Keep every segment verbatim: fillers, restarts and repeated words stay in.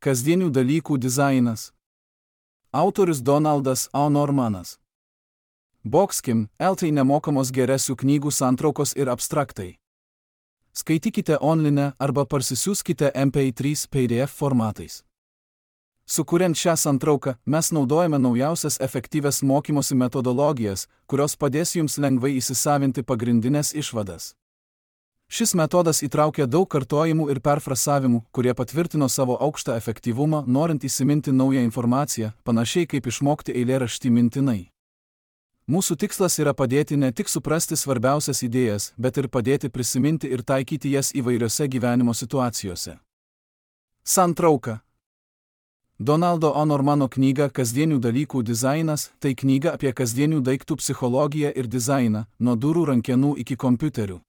Kasdienių dalykų dizainas. Autorius Donaldas A. Normanas. Boxkim, eltai nemokamos geresių knygų santraukos ir abstraktai. Skaitykite online arba parsisiųskite M P trys P D F formatais. Sukuriant šią santrauką, mes naudojame naujausias efektyvias mokymosi metodologijas, kurios padės jums lengvai įsisavinti pagrindinės išvadas. Šis metodas įtraukia daug kartojimų ir perfrasavimų, kurie patvirtino savo aukštą efektyvumą, norint įsiminti naują informaciją, panašiai kaip išmokti eilėraštį mintinai. Mūsų tikslas yra padėti ne tik suprasti svarbiausias idėjas, bet ir padėti prisiminti ir taikyti jas įvairiose gyvenimo situacijose. Santrauka. Donaldo A. Normano knyga Kasdienių dalykų dizainas – tai knyga apie kasdienių daiktų psichologiją ir dizainą, nuo durų rankenų iki kompiuterių.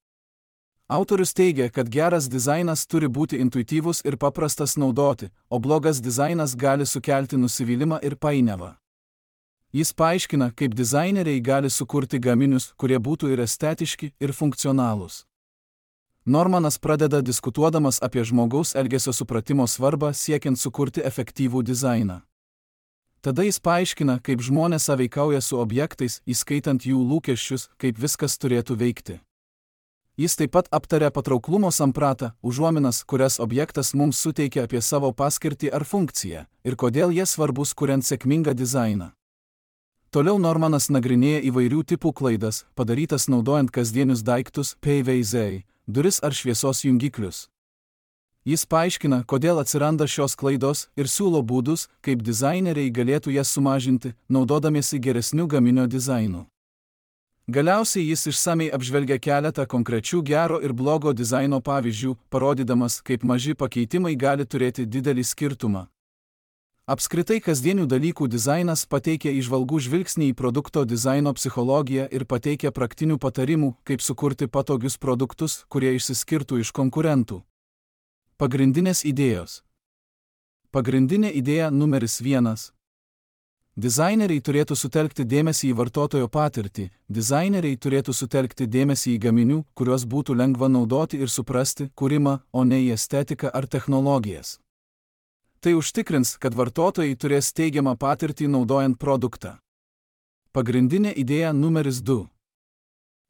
Autorius teigia, kad geras dizainas turi būti intuityvus ir paprastas naudoti, o blogas dizainas gali sukelti nusivylimą ir painiavą. Jis paaiškina, kaip dizaineriai gali sukurti gaminius, kurie būtų ir estetiški, ir funkcionalūs. Normanas pradeda diskutuodamas apie žmogaus elgesio supratimo svarbą siekiant sukurti efektyvų dizainą. Tada jis paaiškina, kaip žmonės sąveikauja su objektais, įskaitant jų lūkesčius, kaip viskas turėtų veikti. Jis taip pat aptaria patrauklumo sampratą, užuominas, kurias objektas mums suteikia apie savo paskirtį ar funkciją, ir kodėl jie svarbus kuriant sėkmingą dizainą. Toliau Normanas nagrinėja įvairių tipų klaidas, padarytas naudojant kasdienius daiktus, P V Z, duris ar šviesos jungiklius. Jis paaiškina, kodėl atsiranda šios klaidos ir siūlo būdus, kaip dizaineriai galėtų jas sumažinti, naudodamiesi geresniu gaminio dizainu. Galiausiai jis išsamei apžvelgia keletą konkrečių gero ir blogo dizaino pavyzdžių, parodydamas, kaip maži pakeitimai gali turėti didelį skirtumą. Apskritai kasdienių dalykų dizainas pateikia įžvalgų žvilgsnį į produkto dizaino psichologiją ir pateikia praktinių patarimų, kaip sukurti patogius produktus, kurie išsiskirtų iš konkurentų. Pagrindinės idėjos. Pagrindinė idėja numeris vienas. Dizaineriai turėtų sutelkti dėmesį į vartotojo patirtį, dizaineriai turėtų sutelkti dėmesį į gaminių, kuriuos būtų lengva naudoti ir suprasti, kūrimą, o ne į estetiką ar technologijas. Tai užtikrins, kad vartotojai turės teigiamą patirtį naudojant produktą. Pagrindinė idėja numeris du.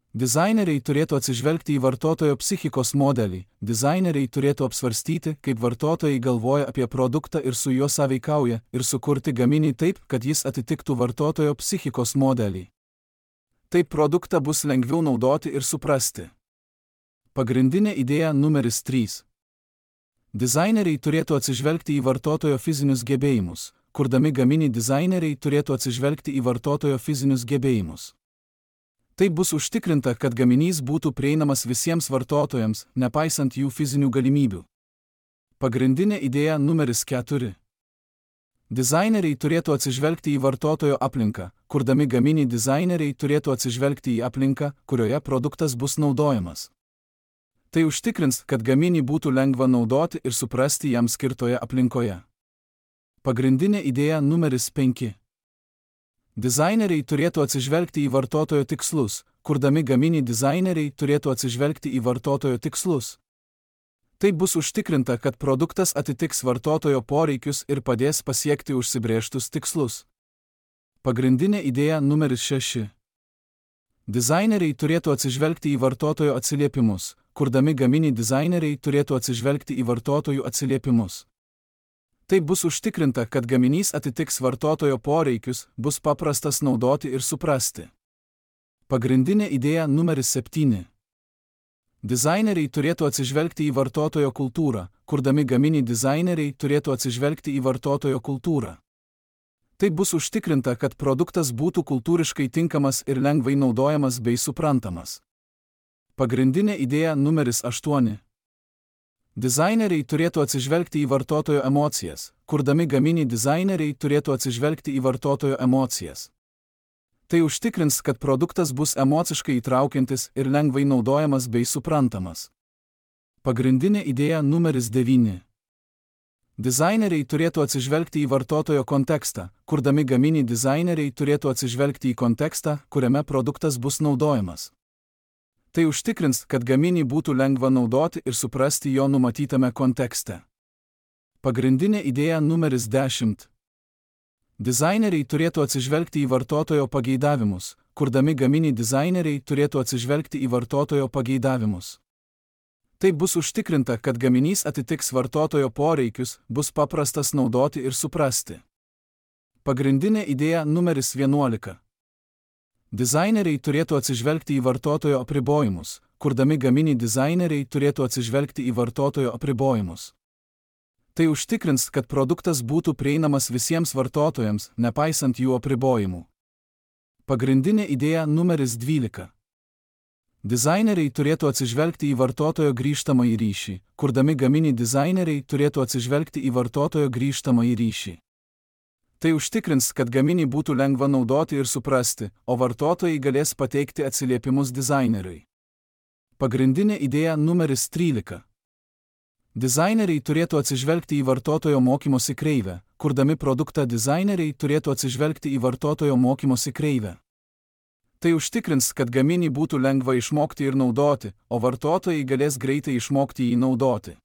Dizaineriai turėtų atsižvelgti į vartotojo psichikos modelį, dizaineriai turėtų apsvarstyti, kaip vartotojai galvoja apie produktą ir su juo sąveikauja, ir sukurti gaminį taip, kad jis atitiktų vartotojo psichikos modelį. Taip produktą bus lengviau naudoti ir suprasti. Pagrindinė idėja numeris trys. Dizaineriai turėtų atsižvelgti į vartotojo fizinius gebėjimus, kurdami gaminį dizaineriai turėtų atsižvelgti į vartotojo fizinius gebėjimus. Taip bus užtikrinta, kad gaminys būtų prieinamas visiems vartotojams, nepaisant jų fizinių galimybių. Pagrindinė idėja numeris keturi. Dizaineriai turėtų atsižvelgti į vartotojo aplinką, kurdami gaminį dizaineriai turėtų atsižvelgti į aplinką, kurioje produktas bus naudojamas. Tai užtikrins, kad gaminį būtų lengva naudoti ir suprasti jam skirtoje aplinkoje. Pagrindinė idėja numeris penki. Dizaineriai turėtų atsižvelgti į vartotojo tikslus, kurdami gaminį dizaineriai turėtų atsižvelgti į vartotojo tikslus. Taip bus užtikrinta, kad produktas atitiks vartotojo poreikius ir padės pasiekti užsibrėžtus tikslus. Pagrindinė idėja numeris šeši. Dizaineriai turėtų atsižvelgti į vartotojo atsiliepimus, kurdami gaminį dizaineriai turėtų atsižvelgti į vartotojų atsiliepimus. Taip bus užtikrinta, kad gaminys atitiks vartotojo poreikius, bus paprastas naudoti ir suprasti. Pagrindinė idėja numeris septyni. Dizaineriai turėtų atsižvelgti į vartotojo kultūrą, kurdami gaminį dizaineriai turėtų atsižvelgti į vartotojo kultūrą. Taip bus užtikrinta, kad produktas būtų kultūriškai tinkamas ir lengvai naudojamas bei suprantamas. Pagrindinė idėja numeris aštuoni. Dizaineriai turėtų atsižvelgti į vartotojo emocijas, kurdami gaminį dizaineriai turėtų atsižvelgti į vartotojo emocijas. Tai užtikrins, kad produktas bus emociškai įtraukiantis ir lengvai naudojamas bei suprantamas. Pagrindinė idėja numeris devyni. Dizaineriai turėtų atsižvelgti į vartotojo kontekstą, kurdami gaminį dizaineriai turėtų atsižvelgti į kontekstą, kuriame produktas bus naudojamas. Tai užtikrins, kad gaminį būtų lengva naudoti ir suprasti jo numatytame kontekste. Pagrindinė idėja numeris dešimt. Dizaineriai turėtų atsižvelgti į vartotojo pageidavimus. Kurdami gaminį dizaineriai turėtų atsižvelgti į vartotojo pageidavimus. Taip bus užtikrinta, kad gaminys atitiks vartotojo poreikius, bus paprastas naudoti ir suprasti. Pagrindinė idėja numeris vienuolika. Dizaineriai turėtų atsižvelgti į vartotojo apribojimus. Kurdami gaminį dizaineriai turėtų atsižvelgti į vartotojo apribojimus. Tai užtikrins, kad produktas būtų prieinamas visiems vartotojams, nepaisant jų apribojimų. Pagrindinė idėja numeris dvylika. Dizaineriai turėtų atsižvelgti į vartotojo grįžtamąjį ryšį. Kurdami gaminį dizaineriai turėtų atsižvelgti į vartotojo grįžtamąjį ryšį. Tai užtikrins, kad gaminį būtų lengva naudoti ir suprasti, o vartotojai galės pateikti atsiliepimus dizaineriui. Pagrindinė idėja numeris trylika. Dizaineriai turėtų atsižvelgti į vartotojo mokymosi kreivę. Kurdami produktą dizaineriai turėtų atsižvelgti į vartotojo mokymosi kreivę. Tai užtikrins, kad gaminį būtų lengva išmokti ir naudoti, o vartotojai galės greitai išmokti jį naudoti.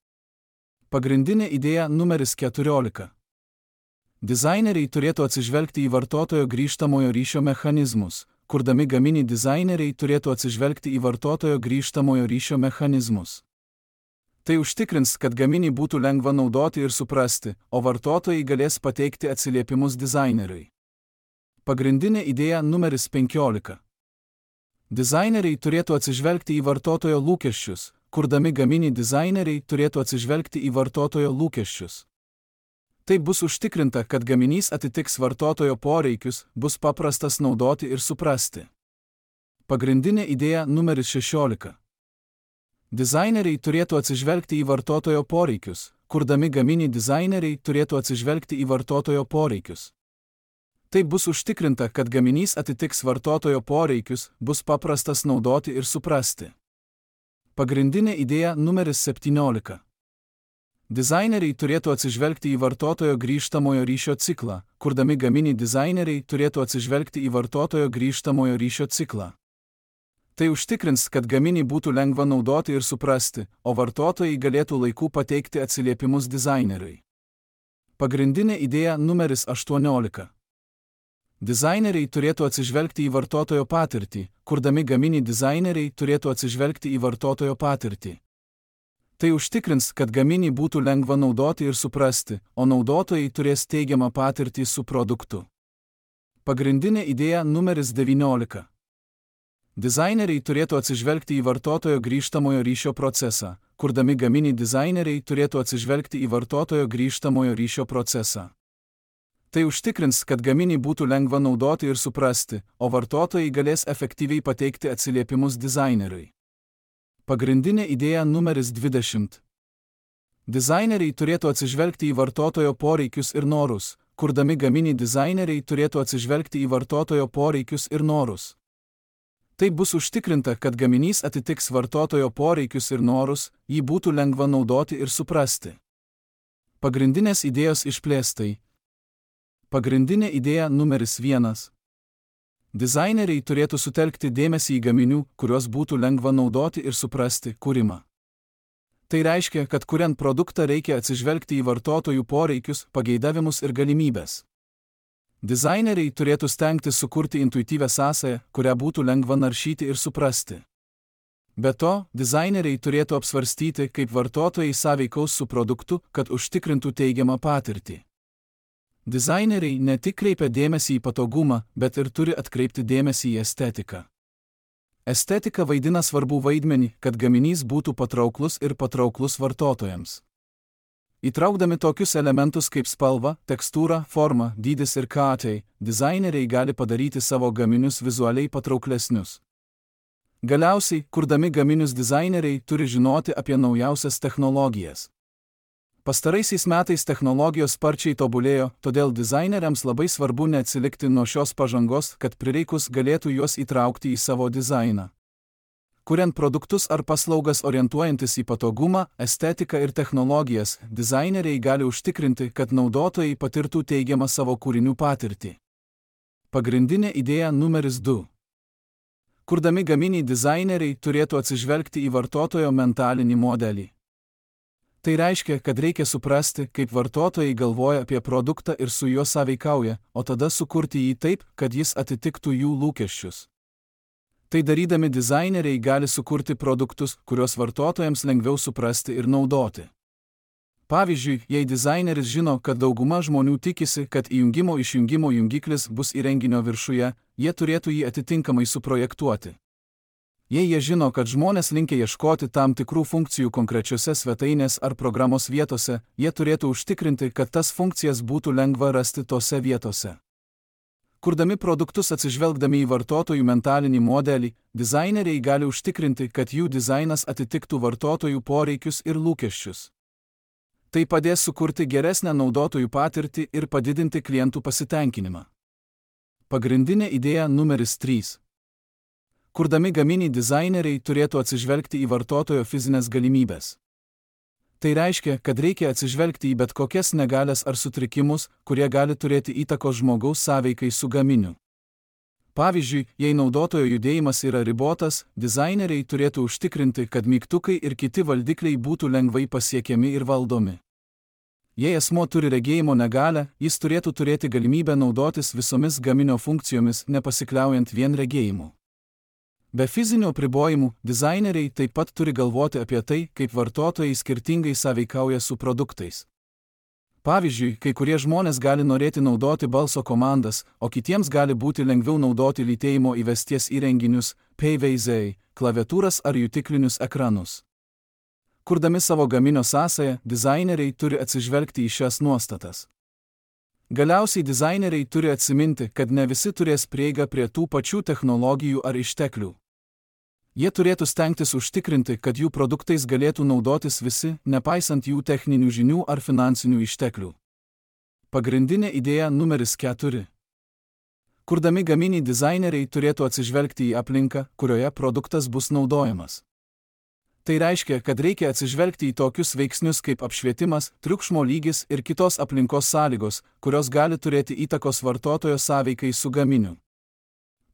Pagrindinė idėja numeris keturiolika. Dizaineriai turėtų atsižvelgti į vartotojo grįžtamojo ryšio mechanizmus. Kurdami gaminį dizaineriai turėtų atsižvelgti į vartotojo grįžtamojo ryšio mechanizmus. Tai užtikrins, kad gaminį būtų lengva naudoti ir suprasti, o vartotojai galės pateikti atsiliepimus dizaineriui. Pagrindinė idėja numeris penkiolika. Dizaineriai turėtų atsižvelgti į vartotojo lūkesčius. Kurdami gaminį dizaineriai turėtų atsižvelgti į vartotojo lūkesčius. Tai bus užtikrinta, kad gaminys atitiks vartotojo poreikius, bus paprastas naudoti ir suprasti. Pagrindinė idėja numeris šešiolika. Dizaineriai turėtų atsižvelgti į vartotojo poreikius. Kurdami gaminį dizaineriai turėtų atsižvelgti į vartotojo poreikius. Tai bus užtikrinta, kad gaminys atitiks vartotojo poreikius, bus paprastas naudoti ir suprasti. Pagrindinė idėja numeris septyniolika. Dizaineriai turėtų atsižvelgti į vartotojo grįžtamojo ryšio ciklą. Kurdami gaminį dizaineriai turėtų atsižvelgti į vartotojo grįžtamojo ryšio ciklą. Tai užtikrins, kad gaminį būtų lengva naudoti ir suprasti, o vartotojai galėtų laiku pateikti atsiliepimus dizaineriui. Pagrindinė idėja numeris aštuoniolika. Dizaineriai turėtų atsižvelgti į vartotojo patirtį. Kurdami gaminį dizaineriai turėtų atsižvelgti į vartotojo patirtį. Tai užtikrins, kad gaminį būtų lengva naudoti ir suprasti, o naudotojai turės teigiamą patirtį su produktu. Pagrindinė idėja numeris devyniolika. Dizaineriai turėtų atsižvelgti į vartotojo grįžtamojo ryšio procesą. Kurdami gaminį dizaineriai turėtų atsižvelgti į vartotojo grįžtamojo ryšio procesą. Tai užtikrins, kad gaminį būtų lengva naudoti ir suprasti, o vartotojai galės efektyviai pateikti atsiliepimus dizaineriui. Pagrindinė idėja numeris dvidešimt. Dizaineriai turėtų atsižvelgti į vartotojo poreikius ir norus. Kurdami gaminį dizaineriai turėtų atsižvelgti į vartotojo poreikius ir norus. Tai bus užtikrinta, kad gaminys atitiks vartotojo poreikius ir norus, jį būtų lengva naudoti ir suprasti. Pagrindinės idėjos išplėstai. Pagrindinė idėja numeris vienas. Dizaineriai turėtų sutelkti dėmesį į gaminių, kuriuos būtų lengva naudoti ir suprasti, kūrimą. Tai reiškia, kad kuriant produktą reikia atsižvelgti į vartotojų poreikius, pageidavimus ir galimybes. Dizaineriai turėtų stengtis sukurti intuityvią sąsają, kurią būtų lengva naršyti ir suprasti. Be to, dizaineriai turėtų apsvarstyti, kaip vartotojai sąveikaus su produktu, kad užtikrintų teigiamą patirtį. Dizaineriai ne tik kreipia dėmesį į patogumą, bet ir turi atkreipti dėmesį į estetiką. Estetika vaidina svarbų vaidmenį, kad gaminys būtų patrauklus ir patrauklus vartotojams. Įtraukdami tokius elementus kaip spalva, tekstūra, forma, dydis ir katai, dizaineriai gali padaryti savo gaminius vizualiai patrauklesnius. Galiausiai, kurdami gaminius dizaineriai turi žinoti apie naujausias technologijas. Pastaraisiais metais technologijos sparčiai tobulėjo, todėl dizaineriams labai svarbu neatsilikti nuo šios pažangos, kad prireikus galėtų juos įtraukti į savo dizainą. Kuriant produktus ar paslaugas orientuojantis į patogumą, estetiką ir technologijas, dizaineriai gali užtikrinti, kad naudotojai patirtų teigiamą savo kūrinių patirtį. Pagrindinė idėja numeris du. Kurdami gaminį dizaineriai turėtų atsižvelgti į vartotojo mentalinį modelį. Tai reiškia, kad reikia suprasti, kaip vartotojai galvoja apie produktą ir su juo sąveikauja, o tada sukurti jį taip, kad jis atitiktų jų lūkesčius. Tai darydami dizaineriai gali sukurti produktus, kuriuos vartotojams lengviau suprasti ir naudoti. Pavyzdžiui, jei dizaineris žino, kad dauguma žmonių tikisi, kad įjungimo išjungimo jungiklis bus įrenginio viršuje, jie turėtų jį atitinkamai suprojektuoti. Jei jie žino, kad žmonės linkę ieškoti tam tikrų funkcijų konkrečiose svetainės ar programos vietose, jie turėtų užtikrinti, kad tas funkcijas būtų lengva rasti tose vietose. Kurdami produktus atsižvelgdami į vartotojų mentalinį modelį, dizaineriai gali užtikrinti, kad jų dizainas atitiktų vartotojų poreikius ir lūkesčius. Tai padės sukurti geresnę naudotojų patirtį ir padidinti klientų pasitenkinimą. Pagrindinė idėja numeris trys. Kurdami gaminį dizaineriai turėtų atsižvelgti į vartotojo fizinės galimybės. Tai reiškia, kad reikia atsižvelgti į bet kokias negalias ar sutrikimus, kurie gali turėti įtakos žmogaus sąveikai su gaminiu. Pavyzdžiui, jei naudotojo judėjimas yra ribotas, dizaineriai turėtų užtikrinti, kad mygtukai ir kiti valdikliai būtų lengvai pasiekiami ir valdomi. Jei asmuo turi regėjimo negalią, jis turėtų turėti galimybę naudotis visomis gaminio funkcijomis, nepasikliaujant vien regėjimu. Be fizinių apribojimų, dizaineriai taip pat turi galvoti apie tai, kaip vartotojai skirtingai sąveikauja su produktais. Pavyzdžiui, kai kurie žmonės gali norėti naudoti balso komandas, o kitiems gali būti lengviau naudoti lytėjimo įvesties įrenginius, P V Z, klaviatūras ar jutiklinius ekranus. Kurdami savo gaminio sąsają, dizaineriai turi atsižvelgti į šias nuostatas. Galiausiai dizaineriai turi atsiminti, kad ne visi turės prieigą prie tų pačių technologijų ar išteklių. Jie turėtų stengtis užtikrinti, kad jų produktais galėtų naudotis visi, nepaisant jų techninių žinių ar finansinių išteklių. Pagrindinė idėja numeris keturi. Kurdami gaminį dizaineriai turėtų atsižvelgti į aplinką, kurioje produktas bus naudojamas. Tai reiškia, kad reikia atsižvelgti į tokius veiksnius kaip apšvietimas, triukšmo lygis ir kitos aplinkos sąlygos, kurios gali turėti įtakos vartotojo sąveikai su gaminiu.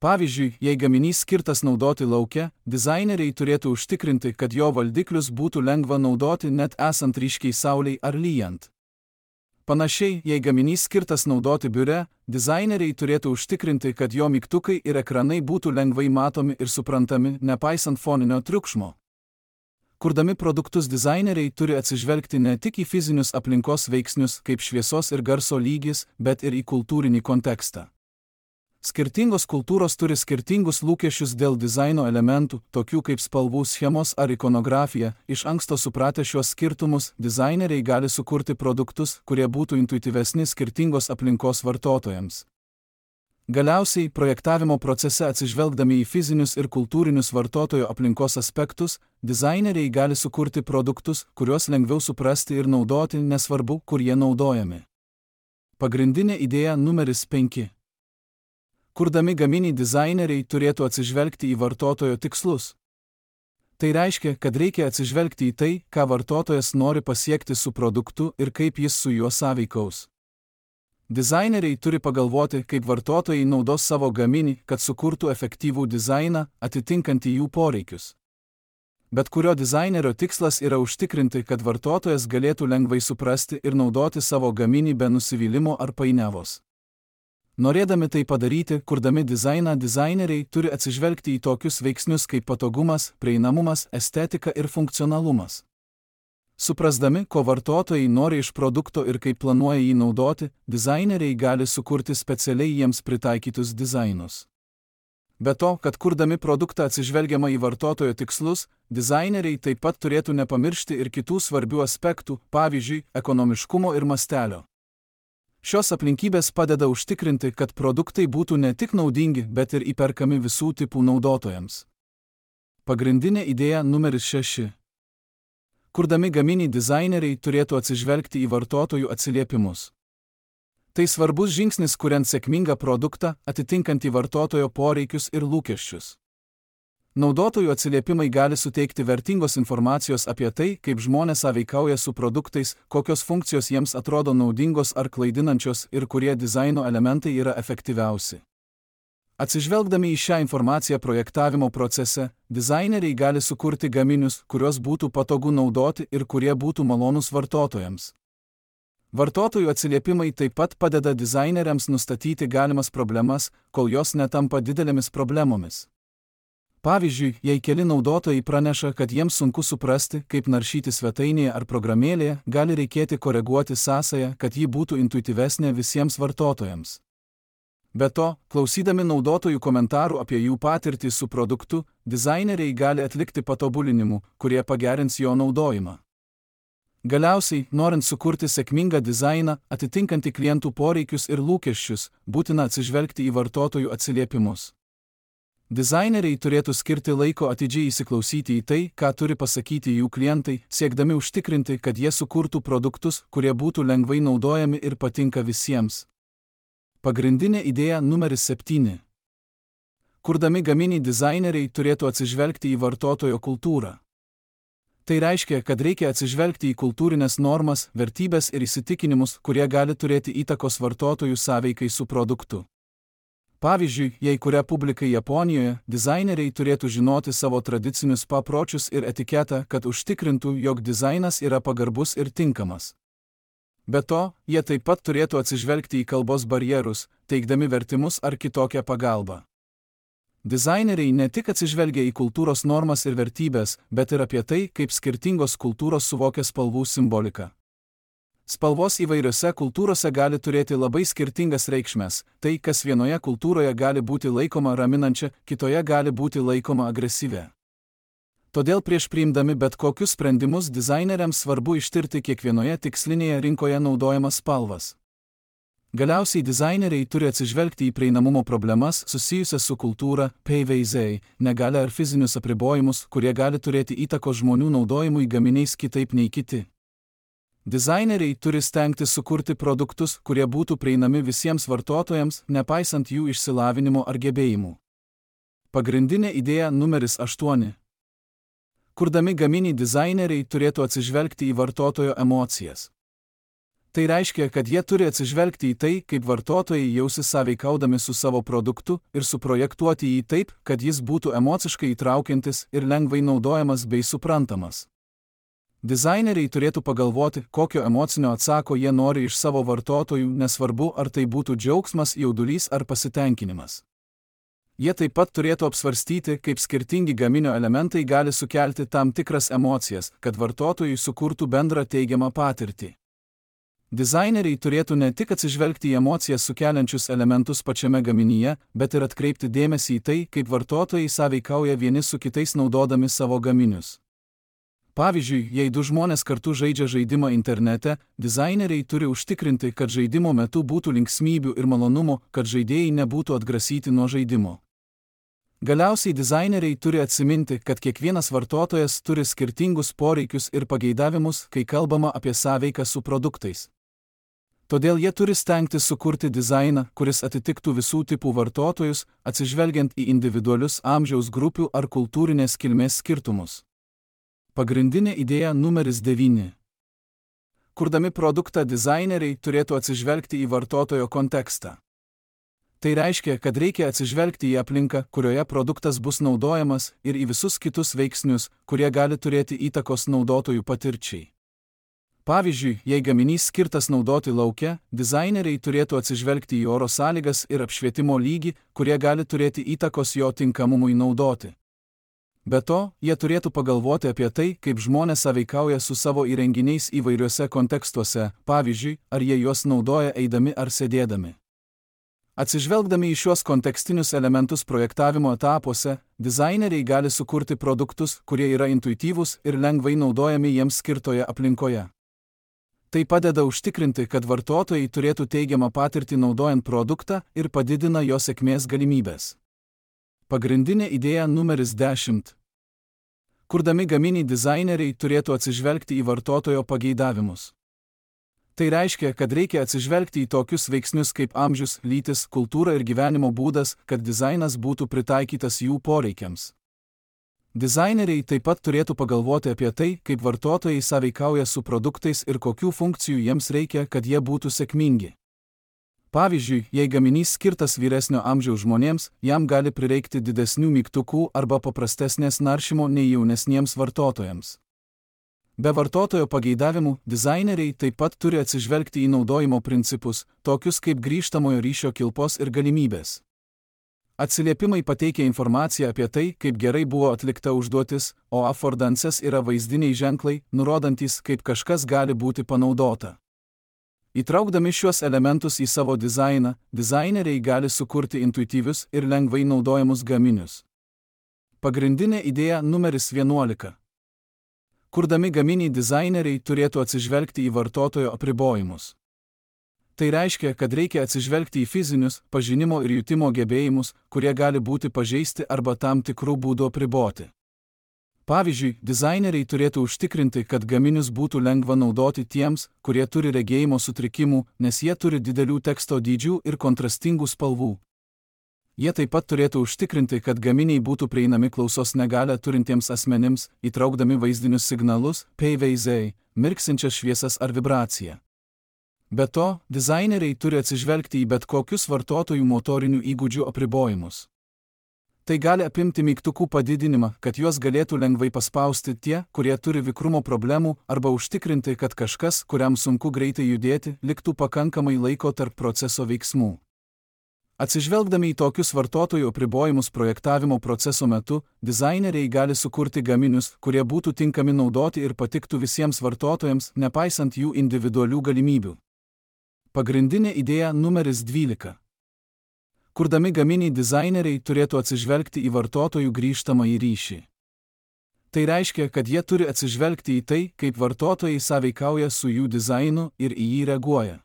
Pavyzdžiui, jei gaminys skirtas naudoti lauke, dizaineriai turėtų užtikrinti, kad jo valdiklius būtų lengva naudoti net esant ryškiai saulei ar lyjant. Panašiai, jei gaminys skirtas naudoti biure, dizaineriai turėtų užtikrinti, kad jo mygtukai ir ekranai būtų lengvai matomi ir suprantami, nepaisant foninio triukšmo. Kurdami produktus dizaineriai turi atsižvelgti ne tik į fizinius aplinkos veiksnius kaip šviesos ir garso lygis, bet ir į kultūrinį kontekstą. Skirtingos kultūros turi skirtingus lūkesčius dėl dizaino elementų, tokių kaip spalvų schemos ar ikonografija. Iš anksto supratę šios skirtumus, dizaineriai gali sukurti produktus, kurie būtų intuityvesni skirtingos aplinkos vartotojams. Galiausiai, projektavimo procese atsižvelgdami į fizinius ir kultūrinius vartotojo aplinkos aspektus, dizaineriai gali sukurti produktus, kuriuos lengviau suprasti ir naudoti, nesvarbu, kur jie naudojami. Pagrindinė idėja numeris penki. Kurdami gaminį dizaineriai turėtų atsižvelgti į vartotojo tikslus. Tai reiškia, kad reikia atsižvelgti į tai, ką vartotojas nori pasiekti su produktu ir kaip jis su juo sąveikaus. Dizaineriai turi pagalvoti, kaip vartotojai naudos savo gaminį, kad sukurtų efektyvų dizainą, atitinkantį jų poreikius. Bet kurio dizainerio tikslas yra užtikrinti, kad vartotojas galėtų lengvai suprasti ir naudoti savo gaminį be nusivylimo ar painiavos. Norėdami tai padaryti, kurdami dizainą, dizaineriai turi atsižvelgti į tokius veiksnius kaip patogumas, prieinamumas, estetika ir funkcionalumas. Suprasdami, ko vartotojai nori iš produkto ir kaip planuoja jį naudoti, dizaineriai gali sukurti specialiai jiems pritaikytus dizainus. Be to, kad kurdami produktą atsižvelgiama į vartotojo tikslus, dizaineriai taip pat turėtų nepamiršti ir kitų svarbių aspektų, pavyzdžiui, ekonomiškumo ir mastelio. Šios aplinkybės padeda užtikrinti, kad produktai būtų ne tik naudingi, bet ir įperkami visų tipų naudotojams. Pagrindinė idėja numeris šeši. Kurdami gaminį dizaineriai turėtų atsižvelgti į vartotojų atsiliepimus. Tai svarbus žingsnis, kuriant sėkmingą produktą, atitinkantį vartotojo poreikius ir lūkesčius. Naudotojų atsiliepimai gali suteikti vertingos informacijos apie tai, kaip žmonės sąveikauja su produktais, kokios funkcijos jiems atrodo naudingos ar klaidinančios ir kurie dizaino elementai yra efektyviausi. Atsižvelgdami į šią informaciją projektavimo procese, dizaineriai gali sukurti gaminius, kuriuos būtų patogu naudoti ir kurie būtų malonūs vartotojams. Vartotojų atsiliepimai taip pat padeda dizaineriams nustatyti galimas problemas, kol jos netampa didelėmis problemomis. Pavyzdžiui, jei keli naudotojai praneša, kad jiems sunku suprasti, kaip naršyti svetainėje ar programėlėje, gali reikėti koreguoti sąsają, kad ji būtų intuityvesnė visiems vartotojams. Be to, klausydami naudotojų komentarų apie jų patirtį su produktu, dizaineriai gali atlikti patobulinimų, kurie pagerins jo naudojimą. Galiausiai, norint sukurti sėkmingą dizainą, atitinkantį klientų poreikius ir lūkesčius, būtina atsižvelgti į vartotojų atsiliepimus. Dizaineriai turėtų skirti laiko atidžiai įsiklausyti į tai, ką turi pasakyti jų klientai, siekdami užtikrinti, kad jie sukurtų produktus, kurie būtų lengvai naudojami ir patinka visiems. Pagrindinė idėja numeris septyni. Kurdami gaminį dizaineriai turėtų atsižvelgti į vartotojo kultūrą. Tai reiškia, kad reikia atsižvelgti į kultūrinės normas, vertybės ir įsitikinimus, kurie gali turėti įtakos vartotojų sąveikai su produktu. Pavyzdžiui, jei kuria publikai Japonijoje, dizaineriai turėtų žinoti savo tradicinius papročius ir etiketą, kad užtikrintų, jog dizainas yra pagarbus ir tinkamas. Be to, jie taip pat turėtų atsižvelgti į kalbos barjerus, teikdami vertimus ar kitokią pagalbą. Dizaineriai ne tik atsižvelgia į kultūros normas ir vertybės, bet ir apie tai, kaip skirtingos kultūros suvokia spalvų simboliką. Spalvos įvairiose kultūrose gali turėti labai skirtingas reikšmes, tai, kas vienoje kultūroje gali būti laikoma raminančia, kitoje gali būti laikoma agresyvia. Todėl prieš priimdami bet kokius sprendimus dizaineriams svarbu ištirti kiekvienoje tikslinėje rinkoje naudojamas spalvas. Galiausiai dizaineriai turi atsižvelgti į prieinamumo problemas susijusias su kultūra, P V Z, negalia ar fizinius apribojimus, kurie gali turėti įtakos žmonių naudojimui gaminiais kitaip nei kiti. Dizaineriai turi stengtis sukurti produktus, kurie būtų prieinami visiems vartotojams, nepaisant jų išsilavinimo ar gebėjimų. Pagrindinė idėja numeris aštuoni. Kurdami gaminį dizaineriai turėtų atsižvelgti į vartotojo emocijas. Tai reiškia, kad jie turi atsižvelgti į tai, kaip vartotojai jausis sąveikaudami su savo produktu ir suprojektuoti jį taip, kad jis būtų emociškai įtraukiantis ir lengvai naudojamas bei suprantamas. Dizaineriai turėtų pagalvoti, kokio emocinio atsako jie nori iš savo vartotojų, nesvarbu, ar tai būtų džiaugsmas, jaudulys ar pasitenkinimas. Jie taip pat turėtų apsvarstyti, kaip skirtingi gaminio elementai gali sukelti tam tikras emocijas, kad vartotojai sukurtų bendrą teigiamą patirtį. Dizaineriai turėtų ne tik atsižvelgti į emocijas sukeliančius elementus pačiame gaminyje, bet ir atkreipti dėmesį į tai, kaip vartotojai sąveikauja vieni su kitais naudodami savo gaminius. Pavyzdžiui, jei du žmonės kartu žaidžia žaidimą internete, dizaineriai turi užtikrinti, kad žaidimo metu būtų linksmybių ir malonumo, kad žaidėjai nebūtų atgrasyti nuo žaidimo. Galiausiai dizaineriai turi atsiminti, kad kiekvienas vartotojas turi skirtingus poreikius ir pageidavimus, kai kalbama apie sąveiką su produktais. Todėl jie turi stengtis sukurti dizainą, kuris atitiktų visų tipų vartotojus, atsižvelgiant į individualius amžiaus grupių ar kultūrinės kilmės skirtumus. Pagrindinė idėja numeris devyni. Kurdami produktą dizaineriai turėtų atsižvelgti į vartotojo kontekstą. Tai reiškia, kad reikia atsižvelgti į aplinką, kurioje produktas bus naudojamas, ir į visus kitus veiksnius, kurie gali turėti įtakos naudotojų patirčiai. Pavyzdžiui, jei gaminys skirtas naudoti lauke, dizaineriai turėtų atsižvelgti į oro sąlygas ir apšvietimo lygį, kurie gali turėti įtakos jo tinkamumui naudoti. Be to, jie turėtų pagalvoti apie tai, kaip žmonės sąveikauja su savo įrenginiais įvairiuose kontekstuose, pavyzdžiui, ar jie juos naudoja eidami ar sėdėdami. Atsižvelgdami į šiuos kontekstinius elementus projektavimo etapuose, dizaineriai gali sukurti produktus, kurie yra intuityvūs ir lengvai naudojami jiems skirtoje aplinkoje. Tai padeda užtikrinti, kad vartotojai turėtų teigiamą patirtį naudojant produktą ir padidina jo sėkmės galimybės. Pagrindinė idėja numeris dešimt. Kurdami gaminį dizaineriai turėtų atsižvelgti į vartotojo pageidavimus. Tai reiškia, kad reikia atsižvelgti į tokius veiksnius kaip amžius, lytis, kultūra ir gyvenimo būdas, kad dizainas būtų pritaikytas jų poreikiams. Dizaineriai taip pat turėtų pagalvoti apie tai, kaip vartotojai sąveikauja su produktais ir kokių funkcijų jiems reikia, kad jie būtų sėkmingi. Pavyzdžiui, jei gaminys skirtas vyresnio amžiaus žmonėms, jam gali prireikti didesnių mygtukų arba paprastesnės naršymo nei jaunesniems vartotojams. Be vartotojo pageidavimų, dizaineriai taip pat turi atsižvelgti į naudojimo principus, tokius kaip grįžtamojo ryšio kilpos ir galimybės. Atsiliepimai pateikia informaciją apie tai, kaip gerai buvo atlikta užduotis, o affordances yra vaizdiniai ženklai, nurodantys, kaip kažkas gali būti panaudota. Įtraukdami šiuos elementus į savo dizainą, dizaineriai gali sukurti intuityvius ir lengvai naudojamus gaminius. Pagrindinė idėja numeris vienuolika. Kurdami gaminį, dizaineriai turėtų atsižvelgti į vartotojo apribojimus. Tai reiškia, kad reikia atsižvelgti į fizinius, pažinimo ir jutimo gebėjimus, kurie gali būti pažeisti arba tam tikrų būdų apriboti. Pavyzdžiui, dizaineriai turėtų užtikrinti, kad gaminius būtų lengva naudoti tiems, kurie turi regėjimo sutrikimų, nes jie turi didelių teksto dydžių ir kontrastingų spalvų. Jie taip pat turėtų užtikrinti, kad gaminiai būtų prieinami klausos negalią turintiems asmenims, įtraukdami vaizdinius signalus, P V Z, mirksinčias šviesas ar vibraciją. Be to, dizaineriai turi atsižvelgti į bet kokius vartotojų motorinių įgūdžių apribojimus. Tai gali apimti mygtukų padidinimą, kad juos galėtų lengvai paspausti tie, kurie turi vikrumo problemų, arba užtikrinti, kad kažkas, kuriam sunku greitai judėti, liktų pakankamai laiko tarp proceso veiksmų. Atsižvelgdami į tokius vartotojų apribojimus projektavimo proceso metu, dizaineriai gali sukurti gaminius, kurie būtų tinkami naudoti ir patiktų visiems vartotojams, nepaisant jų individualių galimybių. Pagrindinė idėja numeris dvylika. Kurdami gaminį, dizaineriai turėtų atsižvelgti į vartotojų grįžtamąjį ryšį. Tai reiškia, kad jie turi atsižvelgti į tai, kaip vartotojai sąveikauja su jų dizainu ir į jį reaguoja.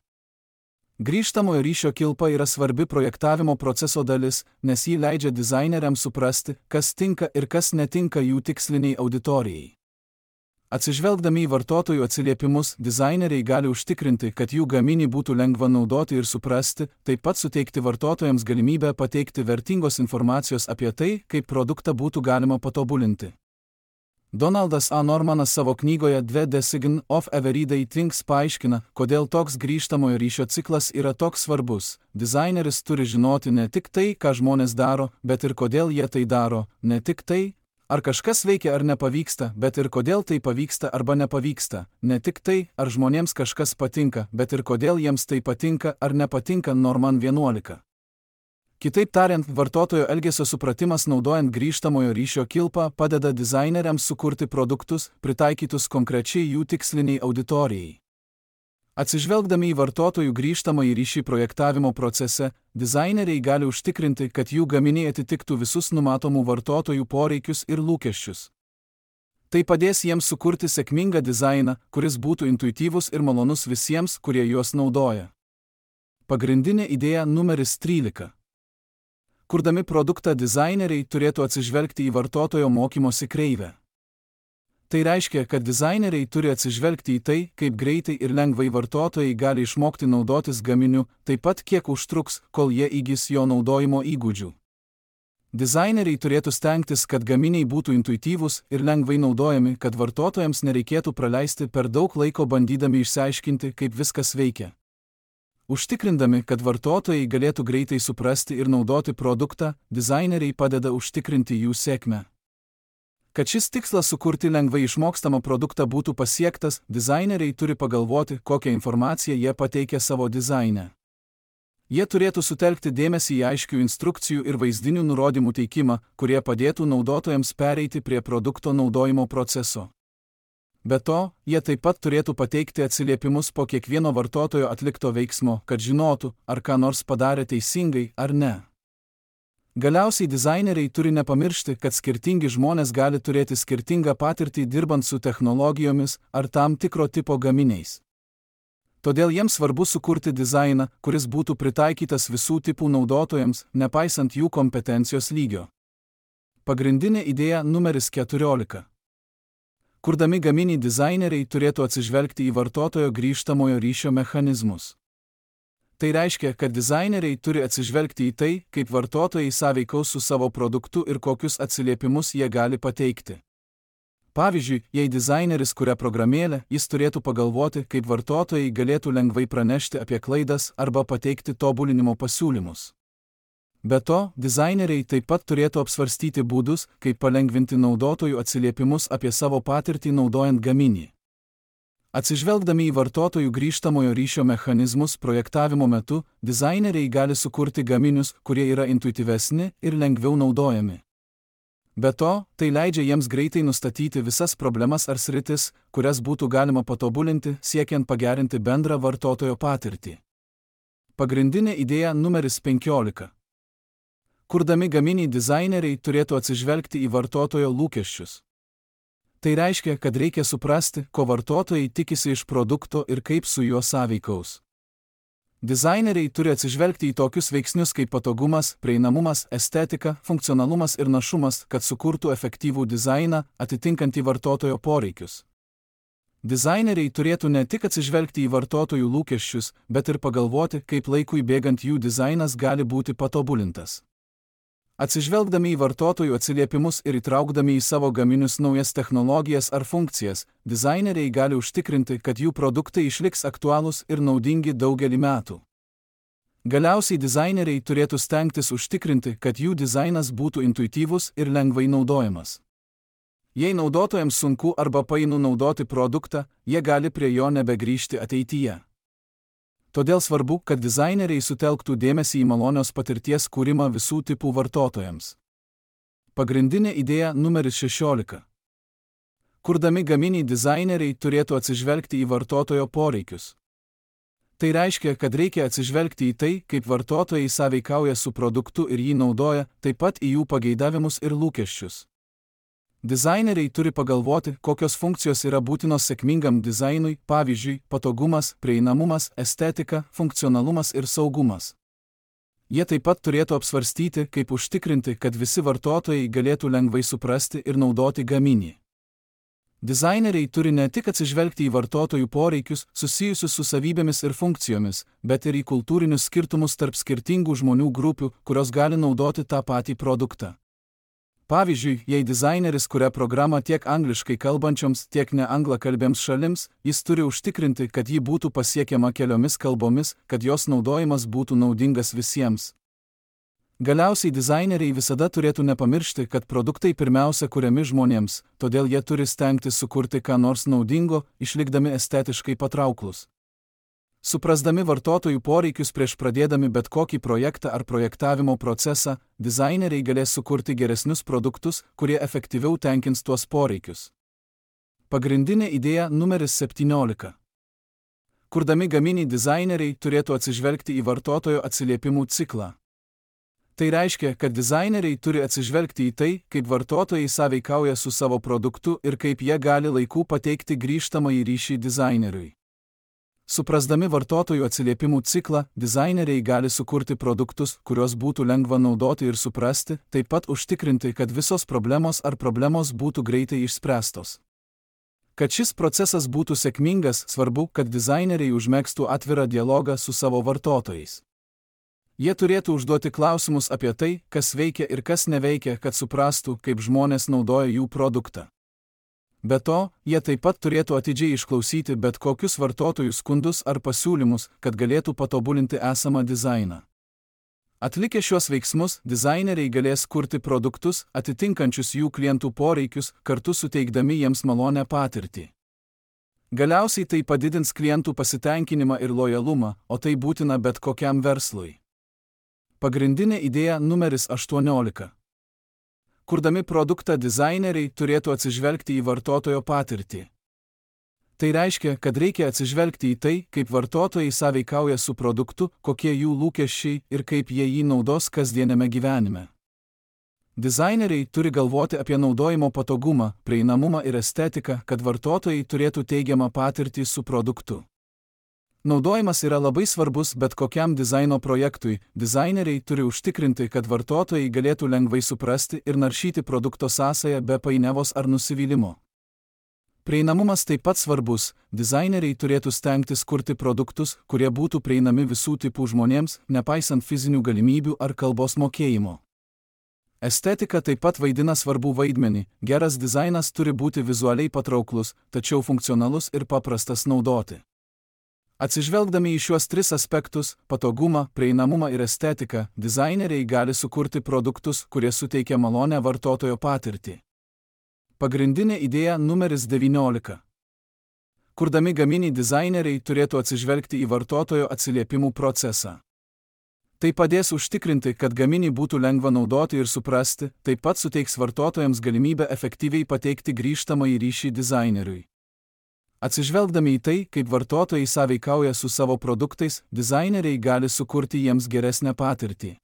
Grįžtamojo ryšio kilpa yra svarbi projektavimo proceso dalis, nes jį leidžia dizaineriams suprasti, kas tinka ir kas netinka jų tiksliniai auditorijai. Atsižvelgdami į vartotojų atsiliepimus, dizaineriai gali užtikrinti, kad jų gaminį būtų lengva naudoti ir suprasti, taip pat suteikti vartotojams galimybę pateikti vertingos informacijos apie tai, kaip produktą būtų galima patobulinti. Donaldas A. Normanas savo knygoje The Design of Everyday Things paaiškina, kodėl toks grįžtamojo ryšio ciklas yra toks svarbus. Dizaineris turi žinoti ne tik tai, ką žmonės daro, bet ir kodėl jie tai daro, ne tik tai, ar kažkas veikia ar nepavyksta, bet ir kodėl tai pavyksta arba nepavyksta, ne tik tai, ar žmonėms kažkas patinka, bet ir kodėl jiems tai patinka ar nepatinka. Norman vienuolika. Kitaip tariant, vartotojo elgesio supratimas naudojant grįžtamojo ryšio kilpą padeda dizaineriams sukurti produktus, pritaikytus konkrečiai jų tiksliniai auditorijai. Atsižvelgdami į vartotojų grįžtamąjį ryšį projektavimo procese, dizaineriai gali užtikrinti, kad jų gaminiai atitiktų visus numatomų vartotojų poreikius ir lūkesčius. Tai padės jiems sukurti sėkmingą dizainą, kuris būtų intuityvus ir malonus visiems, kurie juos naudoja. Pagrindinė idėja numeris trylika. Kurdami produktą, dizaineriai turėtų atsižvelgti į vartotojo mokymosi kreivę. Tai reiškia, kad dizaineriai turi atsižvelgti į tai, kaip greitai ir lengvai vartotojai gali išmokti naudotis gaminiu, taip pat kiek užtruks, kol jie įgis jo naudojimo įgūdžių. Dizaineriai turėtų stengtis, kad gaminiai būtų intuityvūs ir lengvai naudojami, kad vartotojams nereikėtų praleisti per daug laiko bandydami išsiaiškinti, kaip viskas veikia. Užtikrindami, kad vartotojai galėtų greitai suprasti ir naudoti produktą, dizaineriai padeda užtikrinti jų sėkmę. Kad šis tikslas sukurti lengvai išmokstamą produktą būtų pasiektas, dizaineriai turi pagalvoti, kokią informaciją jie pateikia savo dizaine. Jie turėtų sutelkti dėmesį į aiškių instrukcijų ir vaizdinių nurodymų teikimą, kurie padėtų naudotojams pereiti prie produkto naudojimo proceso. Be to, jie taip pat turėtų pateikti atsiliepimus po kiekvieno vartotojo atlikto veiksmo, kad žinotų, ar ką nors padarė teisingai ar ne. Galiausiai dizaineriai turi nepamiršti, kad skirtingi žmonės gali turėti skirtingą patirtį dirbant su technologijomis ar tam tikro tipo gaminiais. Todėl jiems svarbu sukurti dizainą, kuris būtų pritaikytas visų tipų naudotojams, nepaisant jų kompetencijos lygio. Pagrindinė idėja numeris keturiolika. Kurdami gaminį, dizaineriai turėtų atsižvelgti į vartotojo grįžtamojo ryšio mechanizmus. Tai reiškia, kad dizaineriai turi atsižvelgti į tai, kaip vartotojai sąveikaus su savo produktu ir kokius atsiliepimus jie gali pateikti. Pavyzdžiui, jei dizaineris kuria programėlę, jis turėtų pagalvoti, kaip vartotojai galėtų lengvai pranešti apie klaidas arba pateikti tobulinimo pasiūlymus. Be to, dizaineriai taip pat turėtų apsvarstyti būdus, kaip palengvinti naudotojų atsiliepimus apie savo patirtį naudojant gaminį. Atsižvelgdami į vartotojų grįžtamojo ryšio mechanizmus projektavimo metu, dizaineriai gali sukurti gaminius, kurie yra intuityvesni ir lengviau naudojami. Be to, tai leidžia jiems greitai nustatyti visas problemas ar sritis, kurias būtų galima patobulinti, siekiant pagerinti bendrą vartotojo patirtį. Pagrindinė idėja numeris penkiolika. Kurdami gaminį, dizaineriai turėtų atsižvelgti į vartotojo lūkesčius. Tai reiškia, kad reikia suprasti, ko vartotojai tikisi iš produkto ir kaip su juo sąveikaus. Dizaineriai turi atsižvelgti į tokius veiksnius kaip patogumas, prieinamumas, estetika, funkcionalumas ir našumas, kad sukurtų efektyvų dizainą, atitinkantį vartotojo poreikius. Dizaineriai turėtų ne tik atsižvelgti į vartotojų lūkesčius, bet ir pagalvoti, kaip laikui bėgant jų dizainas gali būti patobulintas. Atsižvelgdami į vartotojų atsiliepimus ir įtraukdami į savo gaminius naujas technologijas ar funkcijas, dizaineriai gali užtikrinti, kad jų produktai išliks aktualūs ir naudingi daugelį metų. Galiausiai dizaineriai turėtų stengtis užtikrinti, kad jų dizainas būtų intuityvus ir lengvai naudojamas. Jei naudotojams sunku arba painu naudoti produktą, jie gali prie jo nebegrįžti ateityje. Todėl svarbu, kad dizaineriai sutelktų dėmesį į malonios patirties kūrimą visų tipų vartotojams. Pagrindinė idėja numeris šešiolika. Kurdami gaminį, dizaineriai turėtų atsižvelgti į vartotojo poreikius. Tai reiškia, kad reikia atsižvelgti į tai, kaip vartotojai sąveikauja su produktu ir jį naudoja, taip pat į jų pageidavimus ir lūkesčius. Dizaineriai turi pagalvoti, kokios funkcijos yra būtinos sėkmingam dizainui, pavyzdžiui, patogumas, prieinamumas, estetika, funkcionalumas ir saugumas. Jie taip pat turėtų apsvarstyti, kaip užtikrinti, kad visi vartotojai galėtų lengvai suprasti ir naudoti gaminį. Dizaineriai turi ne tik atsižvelgti į vartotojų poreikius susijusius su savybėmis ir funkcijomis, bet ir į kultūrinius skirtumus tarp skirtingų žmonių grupių, kurios gali naudoti tą patį produktą. Pavyzdžiui, jei dizaineris kuria programą tiek angliškai kalbančioms, tiek neanglakalbėms šalims, jis turi užtikrinti, kad ji būtų pasiekiama keliomis kalbomis, kad jos naudojimas būtų naudingas visiems. Galiausiai dizaineriai visada turėtų nepamiršti, kad produktai pirmiausia kuriami žmonėms, todėl jie turi stengtis sukurti ką nors naudingo, išlikdami estetiškai patrauklus. Suprasdami vartotojų poreikius prieš pradėdami bet kokį projektą ar projektavimo procesą, dizaineriai galės sukurti geresnius produktus, kurie efektyviau tenkins tuos poreikius. Pagrindinė idėja numeris septyniolika. Kurdami gaminį, dizaineriai turėtų atsižvelgti į vartotojo atsiliepimų ciklą. Tai reiškia, kad dizaineriai turi atsižvelgti į tai, kaip vartotojai sąveikauja su savo produktu ir kaip jie gali laiku pateikti grįžtamąjį ryšį dizaineriui. Suprasdami vartotojų atsiliepimų ciklą, dizaineriai gali sukurti produktus, kuriuos būtų lengva naudoti ir suprasti, taip pat užtikrinti, kad visos problemos ar problemos būtų greitai išspręstos. Kad šis procesas būtų sėkmingas, svarbu, kad dizaineriai užmegztų atvirą dialogą su savo vartotojais. Jie turėtų užduoti klausimus apie tai, kas veikia ir kas neveikia, kad suprastų, kaip žmonės naudoja jų produktą. Be to, jie taip pat turėtų atidžiai išklausyti bet kokius vartotojų skundus ar pasiūlymus, kad galėtų patobulinti esamą dizainą. Atlikę šios veiksmus, dizaineriai galės kurti produktus, atitinkančius jų klientų poreikius, kartu suteikdami jiems malonę patirtį. Galiausiai tai padidins klientų pasitenkinimą ir lojalumą, o tai būtina bet kokiam verslui. Pagrindinė idėja numeris aštuoniolika. Kurdami produktą, dizaineriai turėtų atsižvelgti į vartotojo patirtį. Tai reiškia, kad reikia atsižvelgti į tai, kaip vartotojai sąveikauja su produktu, kokie jų lūkesčiai ir kaip jie jį naudos kasdieniame gyvenime. Dizaineriai turi galvoti apie naudojimo patogumą, prieinamumą ir estetiką, kad vartotojai turėtų teigiamą patirtį su produktu. Naudojimas yra labai svarbus bet kokiam dizaino projektui. Dizaineriai turi užtikrinti, kad vartotojai galėtų lengvai suprasti ir naršyti produkto sąsają be painiavos ar nusivylimo. Prieinamumas taip pat svarbus. Dizaineriai turėtų stengtis kurti produktus, kurie būtų prieinami visų tipų žmonėms, nepaisant fizinių galimybių ar kalbos mokėjimo. Estetika taip pat vaidina svarbų vaidmenį, geras dizainas turi būti vizualiai patrauklus, tačiau funkcionalus ir paprastas naudoti. Atsižvelgdami į šiuos tris aspektus – patogumą, prieinamumą ir estetiką, dizaineriai gali sukurti produktus, kurie suteikia malonią vartotojo patirtį. Pagrindinė idėja numeris devyniolika. Kurdami gaminį dizaineriai turėtų atsižvelgti į vartotojo atsiliepimų procesą. Tai padės užtikrinti, kad gaminį būtų lengva naudoti ir suprasti, taip pat suteiks vartotojams galimybę efektyviai pateikti grįžtamąjį ryšį dizaineriui. Atsižvelgdami į tai, kaip vartotojai sąveikauja su savo produktais, dizaineriai gali sukurti jiems geresnę patirtį.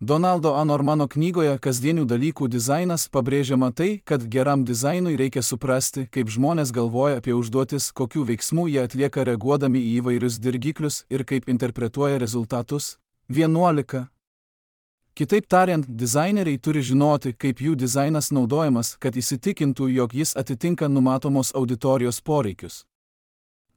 Donaldo A. Normano knygoje Kasdienių dalykų dizainas pabrėžiama tai, kad geram dizainui reikia suprasti, kaip žmonės galvoja apie užduotis, kokių veiksmų jie atlieka reaguodami į įvairius dirgiklius ir kaip interpretuoja rezultatus. vienuolika. Kitaip tariant, dizaineriai turi žinoti, kaip jų dizainas naudojamas, kad įsitikintų, jog jis atitinka numatomos auditorijos poreikius.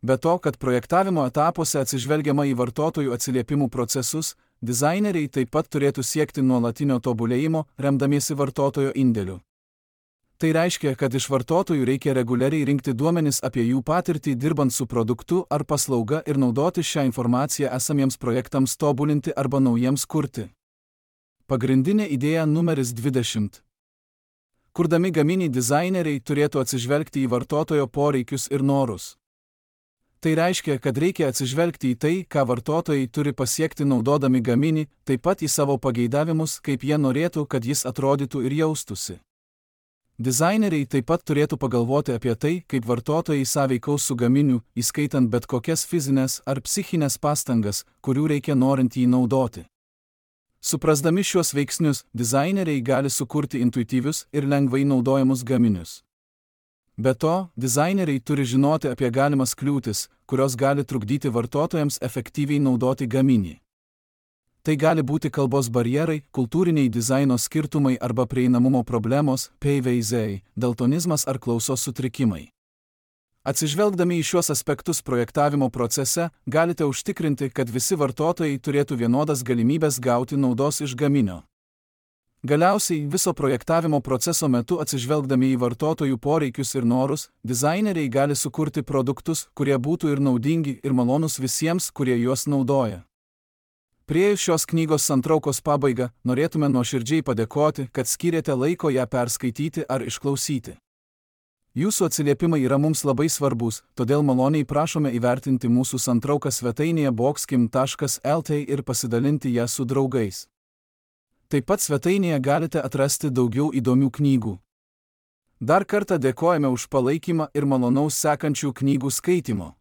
Be to, kad projektavimo etapuose atsižvelgiama į vartotojų atsiliepimų procesus, dizaineriai taip pat turėtų siekti nuolatinio tobulėjimo, remdamiesi vartotojo indėliu. Tai reiškia, kad iš vartotojų reikia reguliariai rinkti duomenis apie jų patirtį dirbant su produktu ar paslauga ir naudoti šią informaciją esamiems projektams tobulinti arba naujiems kurti. Pagrindinė idėja numeris dvidešimt. Kurdami gaminį dizaineriai turėtų atsižvelgti į vartotojo poreikius ir norus. Tai reiškia, kad reikia atsižvelgti į tai, ką vartotojai turi pasiekti naudodami gaminį, taip pat į savo pageidavimus, kaip jie norėtų, kad jis atrodytų ir jaustųsi. Dizaineriai taip pat turėtų pagalvoti apie tai, kaip vartotojai sąveikaus su gaminiu, įskaitant bet kokias fizinės ar psichinės pastangas, kurių reikia norint jį naudoti. Suprasdami šiuos veiksnius, dizaineriai gali sukurti intuityvius ir lengvai naudojamus gaminius. Be to, dizaineriai turi žinoti apie galimas kliūtis, kurios gali trukdyti vartotojams efektyviai naudoti gaminį. Tai gali būti kalbos barjerai, kultūriniai dizaino skirtumai arba prieinamumo problemos, P V Z, daltonizmas ar klausos sutrikimai. Atsižvelgdami į šiuos aspektus projektavimo procese, galite užtikrinti, kad visi vartotojai turėtų vienodas galimybės gauti naudos iš gaminio. Galiausiai, viso projektavimo proceso metu atsižvelgdami į vartotojų poreikius ir norus, dizaineriai gali sukurti produktus, kurie būtų ir naudingi, ir malonūs visiems, kurie juos naudoja. Priėjus šios knygos santraukos pabaigą, norėtume nuoširdžiai padėkoti, kad skyrėte laiko ją perskaityti ar išklausyti. Jūsų atsiliepimai yra mums labai svarbus, todėl maloniai prašome įvertinti mūsų santrauką svetainėje boxkim taškas L T ir pasidalinti ją su draugais. Taip pat svetainėje galite atrasti daugiau įdomių knygų. Dar kartą dėkojame už palaikymą ir malonaus sekančių knygų skaitymo.